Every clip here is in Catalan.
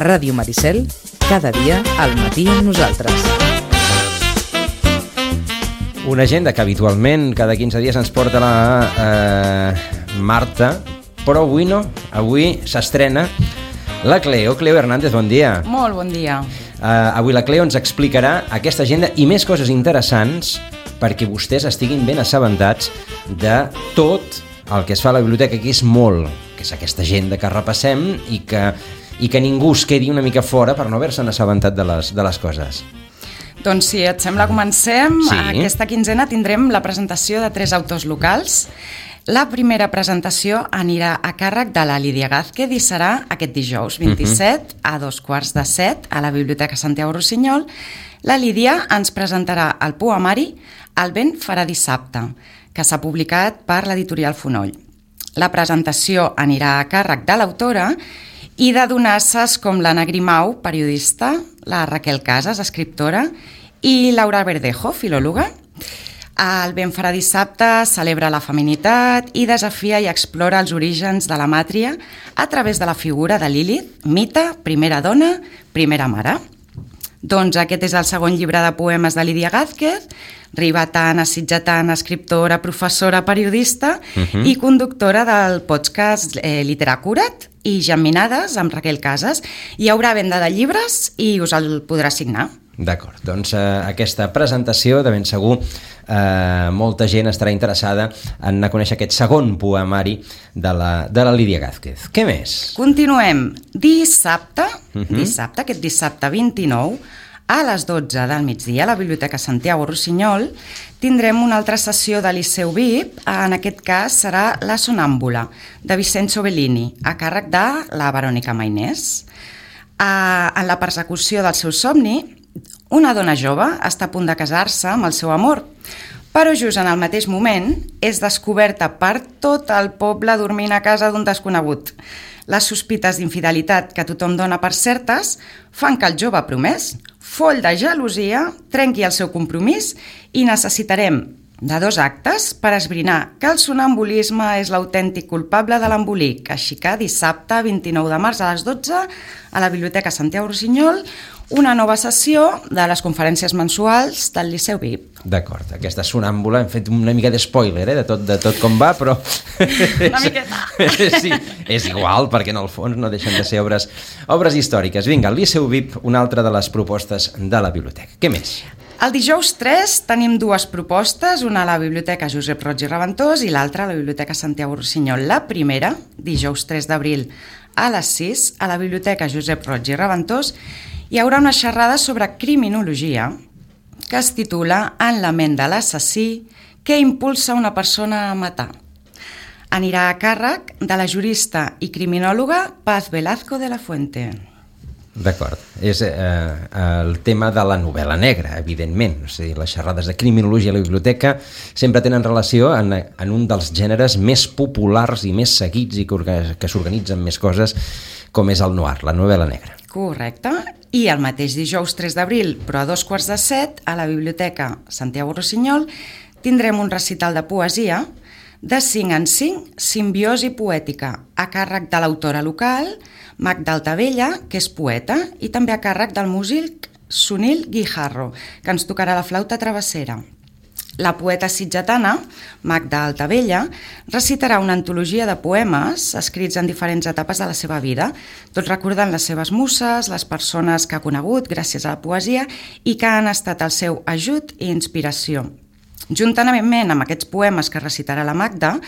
Ràdio Maricel, cada dia al matí amb nosaltres. Una agenda que habitualment cada 15 dies ens porta la Marta, però avui no, avui s'estrena la Cleo. Cleo Hernández, bon dia. Molt bon dia. Avui la Cleo ens explicarà aquesta agenda i més coses interessants perquè vostès estiguin ben assabentats de tot el que es fa a la biblioteca, que és molt, que és aquesta agenda que repassem i que ningú es quedi una mica fora per no haver-se'n assabentat de les coses. Doncs si et sembla, comencem. Sí. Aquesta quinzena tindrem la presentació de 3 autors locals. La primera presentació anirà a càrrec de la Lídia Gázquez i serà aquest dijous 27 a 2:45 a la Biblioteca Santiago Rossinyol. La Lídia ens presentarà el poemari El vent farà dissabte, que s'ha publicat per l'editorial Fonoll. La presentació anirà a càrrec de l'autora i de donasses com l'Anna Grimau, periodista, la Raquel Casas, escriptora, i Laura Verdejo, filòloga. El vent farà dissabte celebra la feminitat i desafia i explora els orígens de la màtria a través de la figura de Lilith, mite, primera dona, primera mare. Doncs aquest és el segon llibre de poemes de Lídia Gázquez, ribetana, sitgetana, escriptora, professora, periodista i conductora del podcast Literacurat i Geminades amb Raquel Casas. Hi haurà venda de llibres i us el podrà signar. D'acord, doncs aquesta presentació de ben segur molta gent estarà interessada en conèixer aquest segon poemari de la Lídia Gázquez. Què més? Continuem. Dissabte, aquest dissabte 29, a les 12 del migdia, a la Biblioteca Santiago Rossinyol, tindrem una altra sessió de Liceu VIP. En aquest cas serà La Sonàmbula, de Vincenzo Bellini, a càrrec de la Verònica Mainés. En la persecució del seu somni, una dona jove està a punt de casar-se amb el seu amor, però just en el mateix moment és descoberta per tot el poble dormint a casa d'un desconegut. Les sospites d'infidelitat que tothom dona per certes fan que el jove promès, foll de gelosia, trenqui el seu compromís i necessitarem de 2 actes per esbrinar que el sonambulisme és l'autèntic culpable de l'embolic. Així que dissabte 29 de març a les 12 a la Biblioteca Santiago Rossinyol, una nova sessió de les conferències mensuals del Liceu VIP. D'acord, aquesta sonàmbula, hem fet una mica d'espoiler de tot com va, però... Una miqueta. Sí, és igual, perquè en el fons no deixen de ser obres històriques. Vinga, el Liceu VIP, una altra de les propostes de la biblioteca. Què més? El dijous 3 tenim 2 propostes, una a la Biblioteca Josep Roig i Reventós i l'altra a la Biblioteca Santiago Rossinyol. La primera, dijous 3 d'abril a les 6, a la Biblioteca Josep Roig i Reventós, hi haurà una xerrada sobre criminologia que es titula En la ment de l'assassí, què impulsa una persona a matar. Anirà a càrrec de la jurista i criminòloga Paz Velazco de la Fuente. D'acord, és el tema de la novel·la negra, evidentment. O sigui, les xerrades de criminologia a la biblioteca sempre tenen relació en un dels gèneres més populars i més seguits i que s'organitzen més coses, com és el noir, la novel·la negra. Correcte. I el mateix dijous 3 d'abril, però a 2:45, a la Biblioteca Santiago Rossinyol, tindrem un recital de poesia de 5 en 5, simbiosi poètica, a càrrec de l'autora local, Magda Altavella, que és poeta, i també a càrrec del músic Sunil Guijarro, que ens tocarà la flauta travessera. La poeta sitgetana, Magda Altavella, recitarà una antologia de poemes escrits en diferents etapes de la seva vida, tot recordant les seves muses, les persones que ha conegut gràcies a la poesia i que han estat el seu ajut i inspiració. Juntament amb aquests poemes que recitarà la Magda,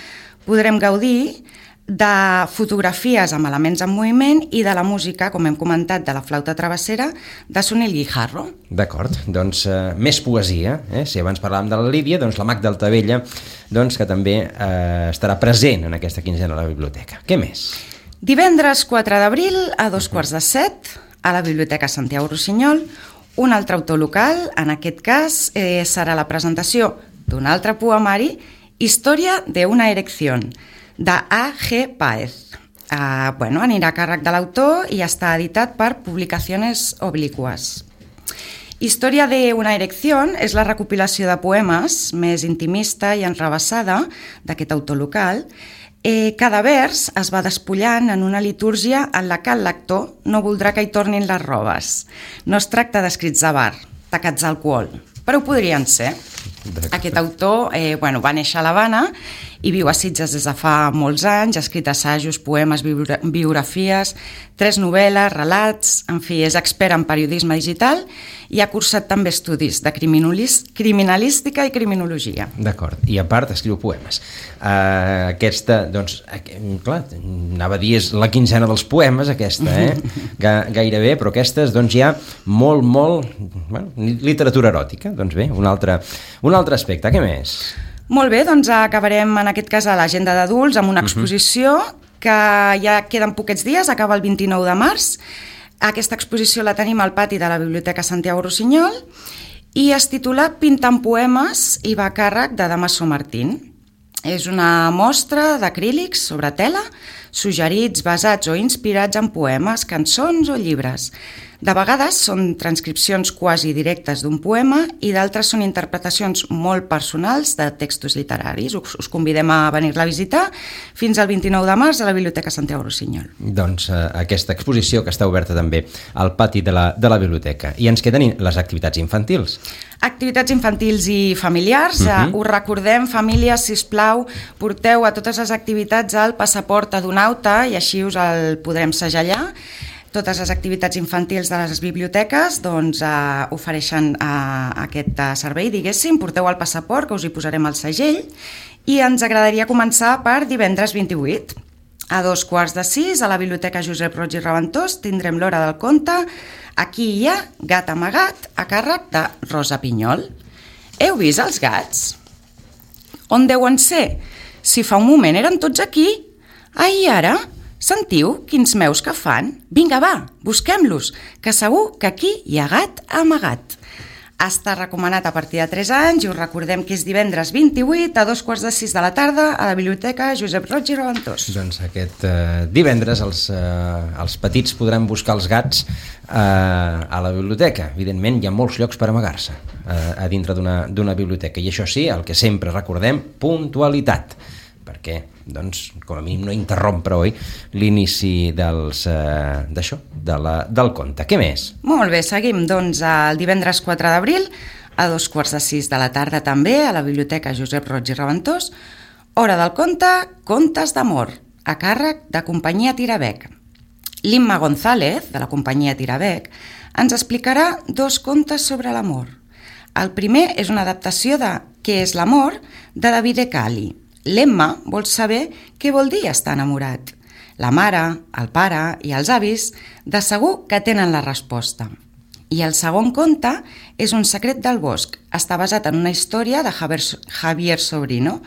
podrem gaudir de fotografies amb elements en moviment i de la música, com hem comentat, de la flauta travessera de Sunil Guijarro. D'acord, doncs més poesia. Si abans parlàvem de la Lídia, doncs la Magda Altavella, que també estarà present en aquesta quinzena a la biblioteca. Què més? Divendres 4 d'abril a 2:45 a la Biblioteca Santiago Rossinyol, un altre autor local, en aquest cas serà la presentació d'un altre poemari, Història de una erección, de A.G. Páez. Anirà a càrrec de l'autor i està editat per Publicaciones Obliquas. Història d'una erecció és la recopilació de poemes més intimista i enrabassada d'aquest autor local. Cada vers es va despullant en una litúrgia en la que el lector no voldrà que hi tornin les robes. No es tracta d'escrits de bar, tacats d'alcohol, però ho podrien ser. Aquest autor va néixer a l'Havana i viu a Sitges des de fa molts anys, ha escrit assajos, poemes, biografies, 3 novel·les, relats, en fi, és expert en periodisme digital i ha cursat també estudis de criminalística i criminologia. D'acord, i a part escriu poemes. Aquesta, doncs, clar, anava a dir és la quinzena dels poemes aquesta, gairebé, però aquestes, doncs hi ha molt, literatura eròtica, doncs bé, un altre aspecte, què més? Molt bé, doncs acabarem en aquest cas a l'agenda d'adults amb una exposició que ja queden poquets dies, acaba el 29 de març. Aquesta exposició la tenim al pati de la Biblioteca Santiago Rossinyol i es titula Pintant poemes i va a càrrec de Damaso Martín. És una mostra d'acrílics sobre tela, suggerits, basats o inspirats en poemes, cançons o llibres. De vegades són transcripcions quasi directes d'un poema i d'altres són interpretacions molt personals de textos literaris. Us convidem a venir-la a visitar fins al 29 de març a la Biblioteca Santiago Rossinyol. Doncs aquesta exposició que està oberta també al pati de la biblioteca. I ens queden les activitats infantils. Activitats infantils i familiars. Us recordem, famílies, sisplau, porteu a totes les activitats el passaport adonauta i així us el podrem segellar. Totes les activitats infantils de les biblioteques doncs, ofereixen aquest servei, diguéssim. Porteu el passaport, que us hi posarem el segell, i ens agradaria començar per divendres 28. A 5:45 a la Biblioteca Josep Roig i Reventós tindrem l'hora del conte Aquí hi ha gat amagat, a càrrec de Rosa Pinyol. Heu vist els gats? On deuen ser? Si fa un moment eren tots aquí. I ara? Sentiu quins meus que fan? Vinga, va, busquem-los, que segur que aquí hi ha gat amagat. Està recomanat a partir de 3 anys i us recordem que és divendres 28 a 5:45 de la tarda a la Biblioteca Josep Roig i Reventós. Doncs aquest divendres els petits podran buscar els gats a la biblioteca. Evidentment hi ha molts llocs per amagar-se a dintre d'una biblioteca i això sí, el que sempre recordem, puntualitat, perquè doncs, com a mínim no interrompre, oi, l'inici del conte. Què més? Molt bé, seguim doncs el divendres 4 d'abril a 5:45 de la tarda també a la Biblioteca Josep Roig i Reventós, hora del conte, Contes d'amor, a càrrec de Companyia Tirabec. L'Imma González, de la Companyia Tirabec, ens explicarà 2 contes sobre l'amor. El primer és una adaptació de Què és l'amor, de Davide Cali. L'Emma vol saber què vol dir estar enamorat. La mare, el pare i els avis de segur que tenen la resposta. I el segon conte és Un secret del bosc. Està basat en una història de Javier Sobrino.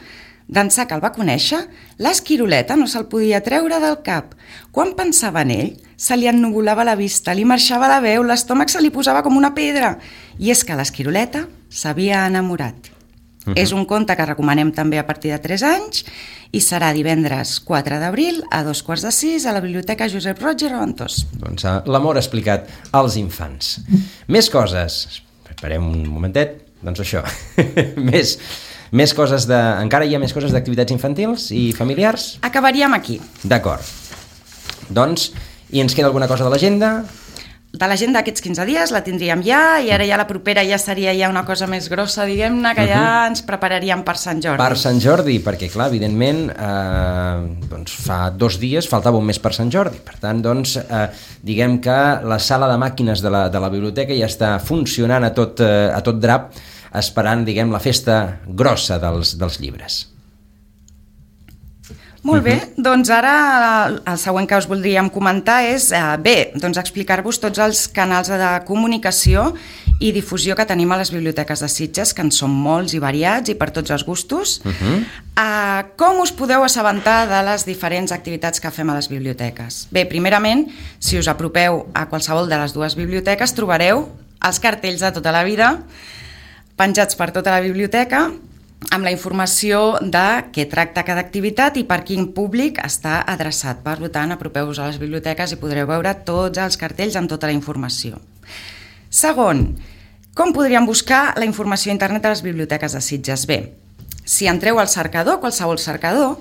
D'ençà que el va conèixer, l'esquiroleta no se'l podia treure del cap. Quan pensava en ell, se li ennuvolava la vista, li marxava la veu, l'estómac se li posava com una pedra. I és que l'esquiroleta s'havia enamorat. És un conte que recomanem també a partir de 3 anys i serà divendres 4 d'abril a 5:45 a la Biblioteca Josep Roig i Reventós. Doncs l'amor explicat als infants. Més coses. Esperem un momentet. Doncs això. Més coses encara hi ha més coses d'activitats infantils i familiars? Acabaríem aquí. D'acord. Doncs, i ens queda alguna cosa de l'agenda? De l'agenda d'aquests 15 dies la tindríem ja i ara ja la propera ja seria ja una cosa més grossa, diguem-ne, que ja ens prepararíem per Sant Jordi. Per Sant Jordi, perquè clar, evidentment doncs fa 2 dies faltava un mes per Sant Jordi, per tant doncs diguem que la sala de màquines de la biblioteca ja està funcionant a tot drap, esperant, diguem, la festa grossa dels llibres. Molt bé, doncs ara el següent que us voldríem comentar és, doncs explicar-vos tots els canals de comunicació i difusió que tenim a les biblioteques de Sitges, que en són molts i variats i per tots els gustos. Com us podeu assabentar de les diferents activitats que fem a les biblioteques? Bé, primerament, si us apropeu a qualsevol de les 2 biblioteques, trobareu els cartells de tota la vida penjats per tota la biblioteca, amb la informació de què tracta cada activitat i per quin públic està adreçat. Per tant, apropeu-vos a les biblioteques i podreu veure tots els cartells amb tota la informació. Segon, Com podríem buscar la informació a internet a les biblioteques de Sitges? Bé, si entreu al cercador, qualsevol cercador,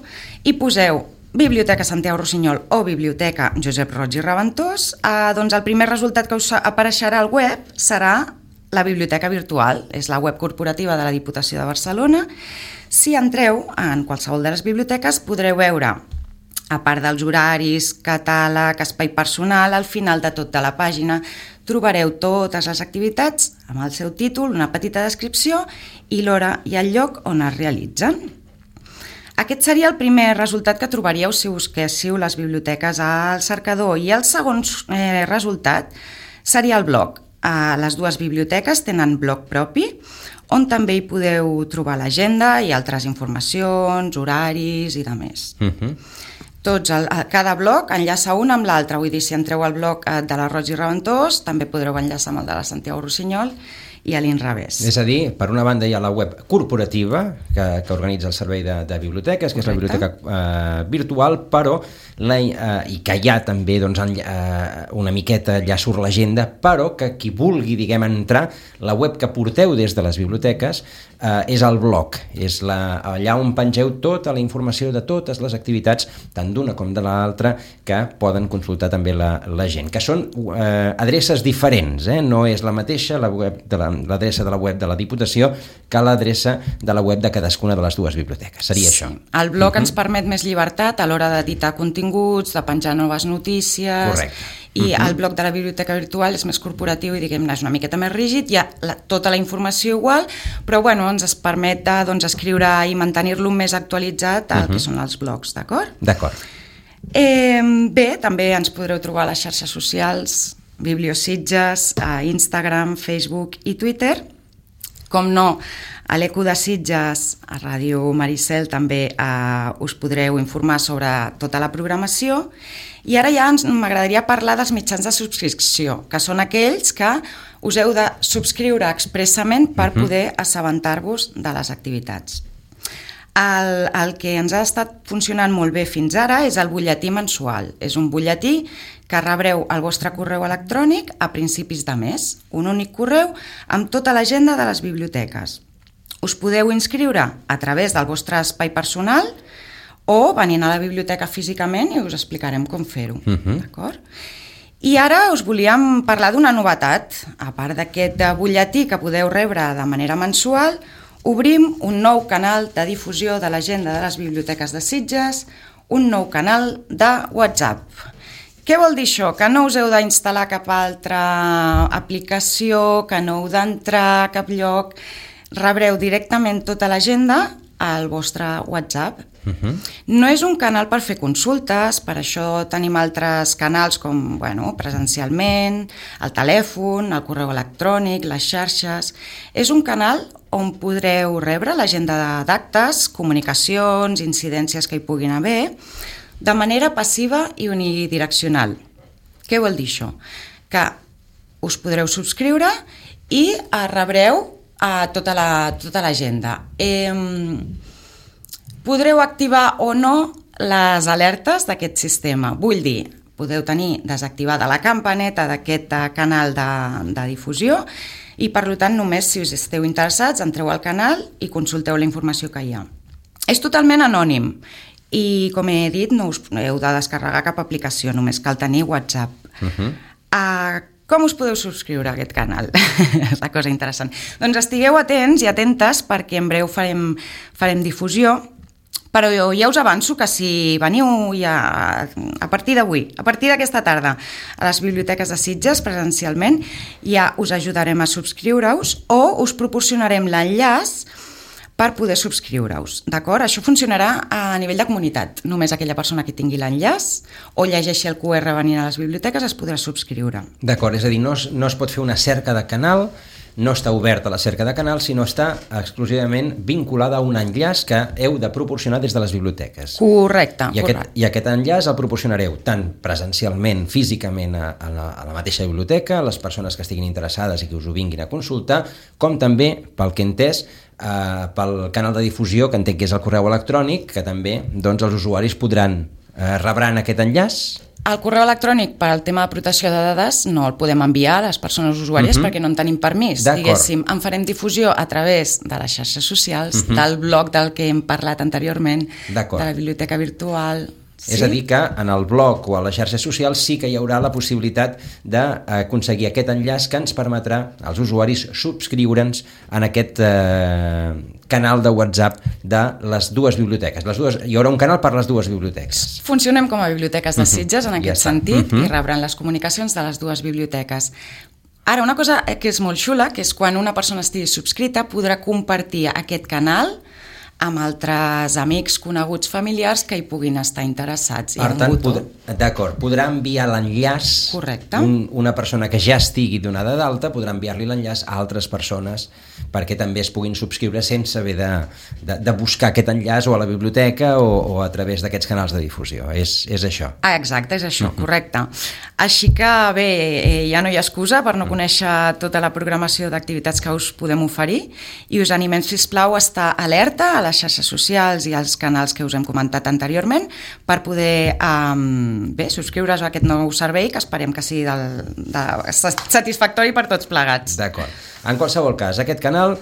i poseu Biblioteca Santiago Rossinyol o Biblioteca Josep Roig i Reventós, doncs el primer resultat que us apareixerà al web serà la biblioteca virtual, és la web corporativa de la Diputació de Barcelona. Si entreu en qualsevol de les biblioteques podreu veure, a part dels horaris, catàleg, espai personal, al final de tota la pàgina trobareu totes les activitats amb el seu títol, una petita descripció i l'hora i el lloc on es realitzen. Aquest seria el primer resultat que trobaríeu si busquéssiu les biblioteques al cercador, i el segon resultat seria el blog. Les dues biblioteques tenen blog propi, on també hi podeu trobar l'agenda i altres informacions, horaris i demés. Cada blog enllaça un amb l'altre, vull dir, si entreu al blog de la Roig i Reventós també podreu enllaçar amb el de la Santiago Rossinyol i a l'inrevés. És a dir, per una banda hi ha la web corporativa que organitza el servei de biblioteques, que és la biblioteca virtual, però i que hi ha també una miqueta, allà surt l'agenda, però que qui vulgui, diguem, entrar, la web que porteu des de les biblioteques és el blog, és allà on pengeu tota la informació de totes les activitats, tant d'una com de l'altra, que poden consultar també la gent, que són adreces diferents, no és la mateixa l'adreça de la web de la Diputació que l'adreça de la web de cadascuna de les dues biblioteques. Seria això. El blog ens permet més llibertat a l'hora d'editar continguts, de penjar noves notícies. Correcte. I el blog de la biblioteca virtual és més corporatiu i, diguem-ne, és una miqueta més rígid, hi ha tota la informació igual, però ens permet escriure i mantenir-lo més actualitzat al que són els blogs, d'acord? D'acord. Bé, també ens podreu trobar a les xarxes socials, Bibliositges, a Instagram, Facebook i Twitter. Com no, a l'Eco de Sitges, a Ràdio Maricel, també us podreu informar sobre tota la programació. I ara ja m'agradaria parlar dels mitjans de subscripció, que són aquells que us heu de subscriure expressament per poder assabentar-vos de les activitats. El que ens ha estat funcionant molt bé fins ara és el butlletí mensual. És un butlletí que rebreu al vostre correu electrònic a principis de mes, un únic correu amb tota l'agenda de les biblioteques. Us podeu inscriure a través del vostre espai personal o venint a la biblioteca físicament i us explicarem com fer-ho. D'acord? I ara us volíem parlar d'una novetat. A part d'aquest butlletí que podeu rebre de manera mensual, obrim un nou canal de difusió de l'agenda de les biblioteques de Sitges, un nou canal de WhatsApp. Què vol dir això? Que no us heu d'instal·lar cap altra aplicació, que no heu d'entrar a cap lloc, rebreu directament tota l'agenda al vostre WhatsApp. No és un canal per fer consultes, per això tenim altres canals com presencialment, el telèfon, el correu electrònic, les xarxes. És un canal on podreu rebre l'agenda d'actes, comunicacions, incidències que hi puguin haver, de manera passiva i unidireccional. Què vol dir això? Que us podreu subscriure i rebreu tota l'agenda. Podreu activar o no les alertes d'aquest sistema. Vull dir, podeu tenir desactivada la campaneta d'aquest canal de difusió i, per tant, només si us esteu interessats, entreu al canal i consulteu la informació que hi ha. És totalment anònim i, com he dit, no us heu de descarregar cap aplicació, només cal tenir WhatsApp. Com us podeu subscriure a aquest canal? És la cosa interessant. Doncs estigueu atents i atentes perquè en breu farem difusió, però ja us avanço que si veniu ja a partir d'avui, a partir d'aquesta tarda a les biblioteques de Sitges presencialment, ja us ajudarem a subscriure-us o us proporcionarem l'enllaç per poder subscriure-us, d'acord? Això funcionarà a nivell de comunitat. Només aquella persona que tingui l'enllaç o llegeixi el QR venint a les biblioteques es podrà subscriure. D'acord, és a dir, no es pot fer una cerca de canal, no està oberta la cerca de canal, sinó està exclusivament vinculada a un enllaç que heu de proporcionar des de les biblioteques. Correcte. I aquest enllaç el proporcionareu tant presencialment, físicament a la mateixa biblioteca, a les persones que estiguin interessades i que us ho vinguin a consultar, com també, pel que he entès, pel canal de difusió, que entenc que és el correu electrònic, que també els usuaris rebran aquest enllaç El correu electrònic per al tema de protecció de dades no el podem enviar a les persones usuàries perquè no en tenim permís. Diguéssim, en farem difusió a través de les xarxes socials, del blog del que hem parlat anteriorment, de la biblioteca virtual. Sí? És a dir que en el blog o a les xarxes socials sí que hi haurà la possibilitat d'aconseguir aquest enllaç que ens permetrà als usuaris subscriure'ns en aquest canal de WhatsApp de les dues biblioteques. Hi haurà un canal per les dues biblioteques. Funcionem com a biblioteques de Sitges en aquest sentit i rebran les comunicacions de les dues biblioteques. Ara, una cosa que és molt xula, que és quan una persona estigui subscrita podrà compartir aquest canal amb altres amics, coneguts, familiars que hi puguin estar interessats. Per tant, podrà enviar l'enllaç. Correcte. Una persona que ja estigui donada d'alta podrà enviar-li l'enllaç a altres persones perquè també es puguin subscriure sense haver de buscar aquest enllaç o a la biblioteca o a través d'aquests canals de difusió. És això. Exacte, és això, correcte. Així que, bé, ja no hi ha excusa per no conèixer tota la programació d'activitats que us podem oferir i us animem, sisplau, a estar alerta a les xarxes socials i als canals que us hem comentat anteriorment per poder subscriure's a aquest nou servei que esperem que sigui satisfactori per tots plegats. D'acord. En qualsevol cas, aquest canal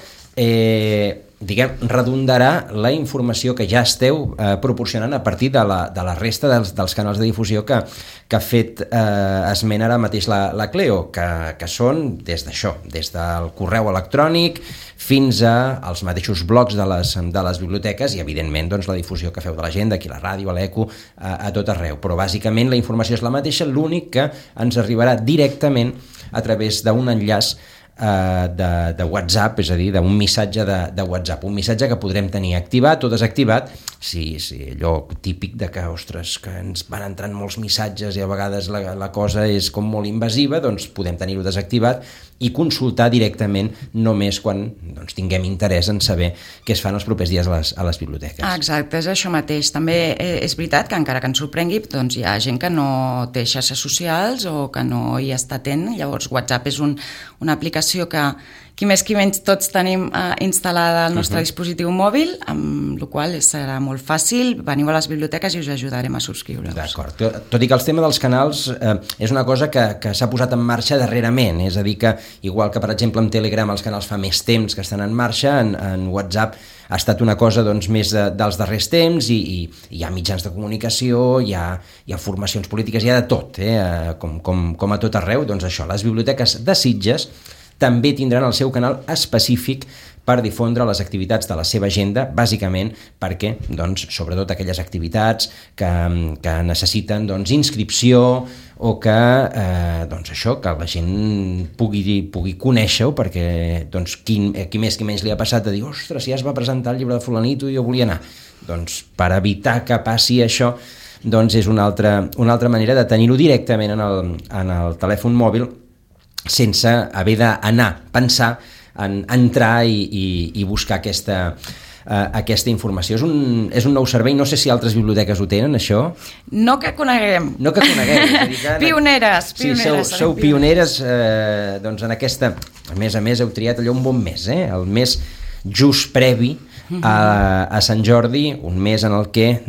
redondarà la informació que ja esteu proporcionant a partir de la resta dels canals de difusió que ha fet esment ara mateix la Cleo, que són des d'això, des del correu electrònic fins als mateixos blogs de les biblioteques i, evidentment, doncs, la difusió que feu de l'agenda, aquí a la ràdio, a l'ECO, a tot arreu. Però, bàsicament, la informació és la mateixa, l'únic que ens arribarà directament a través d'un enllaç de WhatsApp, és a dir, d'un missatge de WhatsApp, un missatge que podrem tenir activat o desactivat, sí, allò típic de que, ostres, que ens van entrant molts missatges i a vegades la cosa és com molt invasiva, doncs podem tenir-ho desactivat i consultar directament només quan tinguem interès en saber què es fan els propers dies a les biblioteques. Exacte, és això mateix. També és veritat que encara que ens sorprengui, doncs hi ha gent que no té xarxes socials o que no hi està atent, llavors WhatsApp és una aplicació que qui més qui menys tots tenim instal·lada al nostre dispositiu mòbil, amb la qual serà molt fàcil, veniu a les biblioteques i us ajudarem a subscriure-us. D'acord. Tot i que el tema dels canals és una cosa que s'ha posat en marxa darrerament, és a dir que, igual que per exemple en Telegram els canals fa més temps que estan en marxa, en WhatsApp ha estat una cosa més dels darrers temps i hi ha mitjans de comunicació, hi ha formacions polítiques, hi ha de tot, com a tot arreu. Doncs això, les biblioteques de Sitges també tindran el seu canal específic per difondre les activitats de la seva agenda, bàsicament perquè, sobretot aquelles activitats que necessiten inscripció o que la gent pugui conèixer-ho, perquè qui més qui menys li ha passat de dir, ostres, ja es va presentar el llibre de fulanito i jo volia anar. Doncs per evitar que passi això, és una altra manera de tenir-ho directament en el telèfon mòbil sense haver d'anar, pensar en entrar i buscar aquesta informació. És un nou servei, no sé si altres biblioteques ho tenen, això? No que coneguem. No que coneguem. Pioneres. Sí, sou pioneres en aquesta... A més, heu triat allò un bon mes, el mes just previ a Sant Jordi, un mes en el que,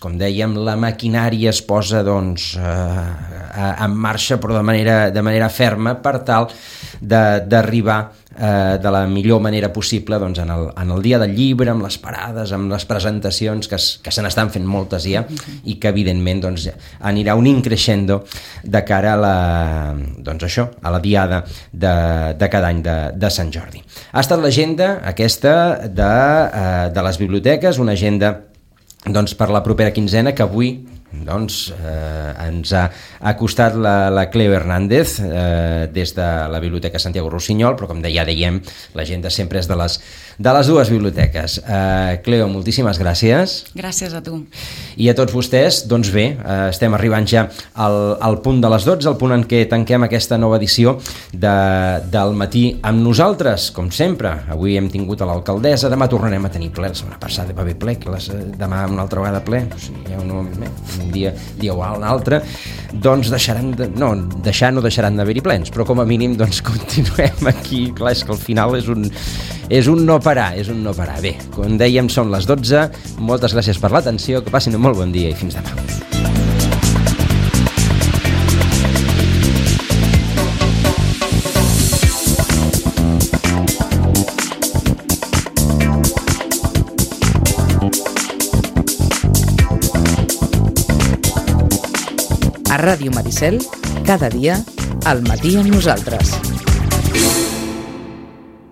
com dèiem, la maquinària es posa en marxa, però de manera ferma, per tal d'arribar de la millor manera possible en el dia del llibre, amb les parades, amb les presentacions, que se n'estan fent moltes ja, i que evidentment anirà un increixendo de cara a la diada de cada any de Sant Jordi. Ha estat l'agenda aquesta de les biblioteques, una agenda per la propera quinzena que avui ens ha acostat la Cleo Hernández des de la Biblioteca Santiago Rossinyol, però com ja dèiem, l'agenda sempre és de les dues biblioteques. Cleo, moltíssimes gràcies. Gràcies a tu. I a tots vostès, bé, estem arribant ja al punt de les 12, el punt en què tanquem aquesta nova edició del matí amb nosaltres, com sempre. Avui hem tingut a l'alcaldessa, demà tornarem a tenir ple, la setmana passada va haver ple, demà una altra vegada ple, un dia o un altre, no deixaran d'haver-hi plens, però com a mínim continuem aquí. Clar, és que al final és un no parar. Bé, com dèiem, són les 12, moltes gràcies per l'atenció, que passin un molt bon dia i fins demà. A Ràdio Maricel, cada dia, al matí amb nosaltres.